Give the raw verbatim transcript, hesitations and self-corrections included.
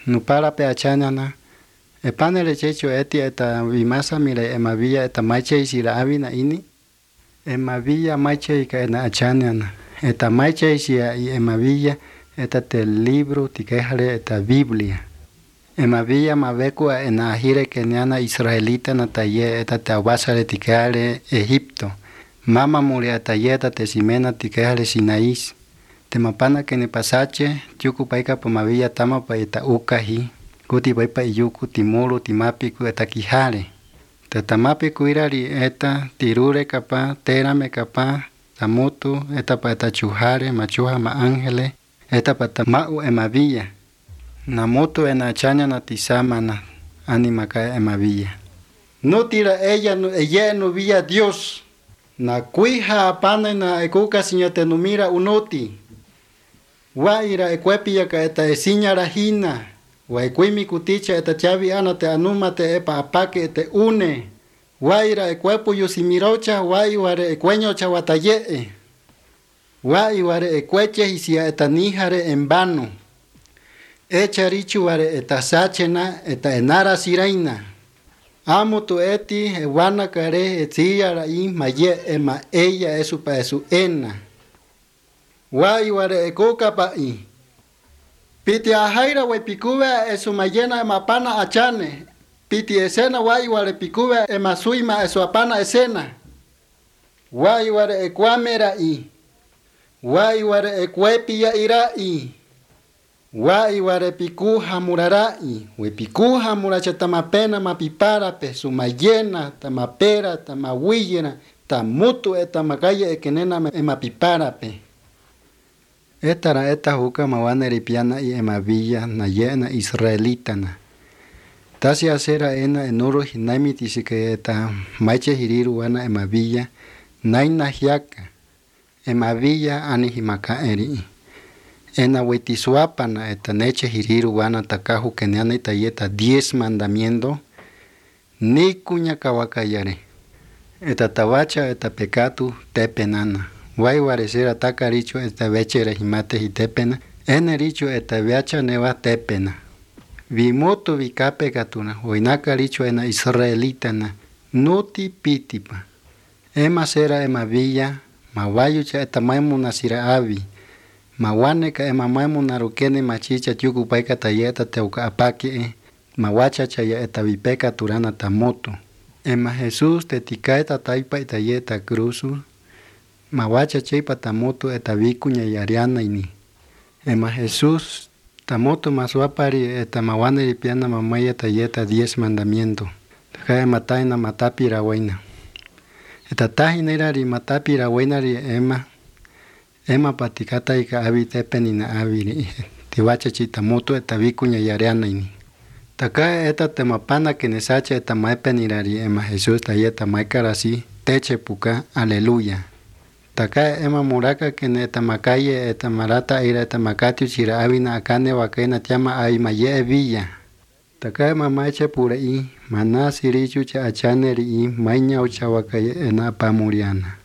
Nupara pe achanana. E panele checho eti eta vimasa mire emavilla eta maiche isira avina ini. Emavilla maiche ika ena achanana. Eta maiche isia y emavilla eta te libro tikehale eta Biblia. Emavilla mavekua ena ahire kenyana israelita na taye eta te awasare tikehale Egipto. Mama mulia taye eta te simena tikehale Sinaís. Te mapana que ne pasache, yuku paika pomavilla tama pa eta ukahi. Kuti paipa iyuku timulu timapiku eta kihale. Te tamapiku irari eta tirure kapa, terame kapa, tamutu eta pa eta chuhare, machuha ma angele, eta pa tamau emavilla. Namutu ena chanya na tisamana, animaka emavilla. No tira ella, ella no villa Dios. Na cuija apana na ekuka siñate numira unoti. Wa ira ekwepia ka eta esinya rahina. Wa ekwimi kuticha eta chavi ana te anuma te epa apake te une. Wa ira ekwepu yusimirocha wa iware ekweño cha watayee. Wa iware ekweche hisia eta nihare embano. Echa richu ware eta sachena eta enara siraina. Amo tu eti ewana kare etia rai maye ema ella esu pa esu ena. Wa iware ekoka pa i. Piti ahaira we pikuwe esu mayena ema pana achane. Piti esena wa iware pikuwe ema suima esu apana esena. Wa iware ekwamera i. Wa iware ekwepi ya ira i. Wa iware pikuha murarai. We pikuha muracha tamapena mapipara pe su mayena tamapera tamawiyena tamutu eta makaya ekenena ema pipara pe. Etara eta huka mawana ripiana y emavilla na yena israelitana. Tasi asera ena enuro hinaimi tisike eta maiche hiriru wana emavilla naina hiaka. Emavilla ani himaka eri. Ena wetisuapana eta neche hiriru wana takahu kenyana itayeta diez mandamiento ni kuña kawakayare. Eta tawacha eta pecatu tepenana. Wai waresera takaricho eta vechere himate hitepena. Ene richo eta viacha neva tepena. Vimoto vikape katuna. Oinaka richo ena israelitana. Nuti pitipa. Ema sera ema villa. Mawayucha eta maimuna sira avi. Mawaneka ema maimuna rukene machicha tiuku paika tayeta teuka apaki e. Mawacha chaya eta vipeka turana tamoto. Ema Jesús te tikaeta taipa itayeta cruzu. Mawacha cheipa tamoto eta vikuña yariana ini. Ema Jesús tamoto maswapari eta mawane ripiana mamaya tayeta diez mandamiento. Taka ema taina matapi rawaina. Eta tahinera ri matapi rawaina ri ema. Ema patikata ika abi tepenina abi. Tiwacha chitamoto eta vikuña yariana ini. Taka eta temapana kenesacha eta maipenira ri ema Jesús tayeta maikarasi teche puka aleluya. Taka ema muraka kene eta makaye eta marata ira eta makati chira avina akane wakena tiama ai maye villa. Taka ema maiche pura i manasi richu cha achaneri i mainya ucha wakaye ena pamuriana.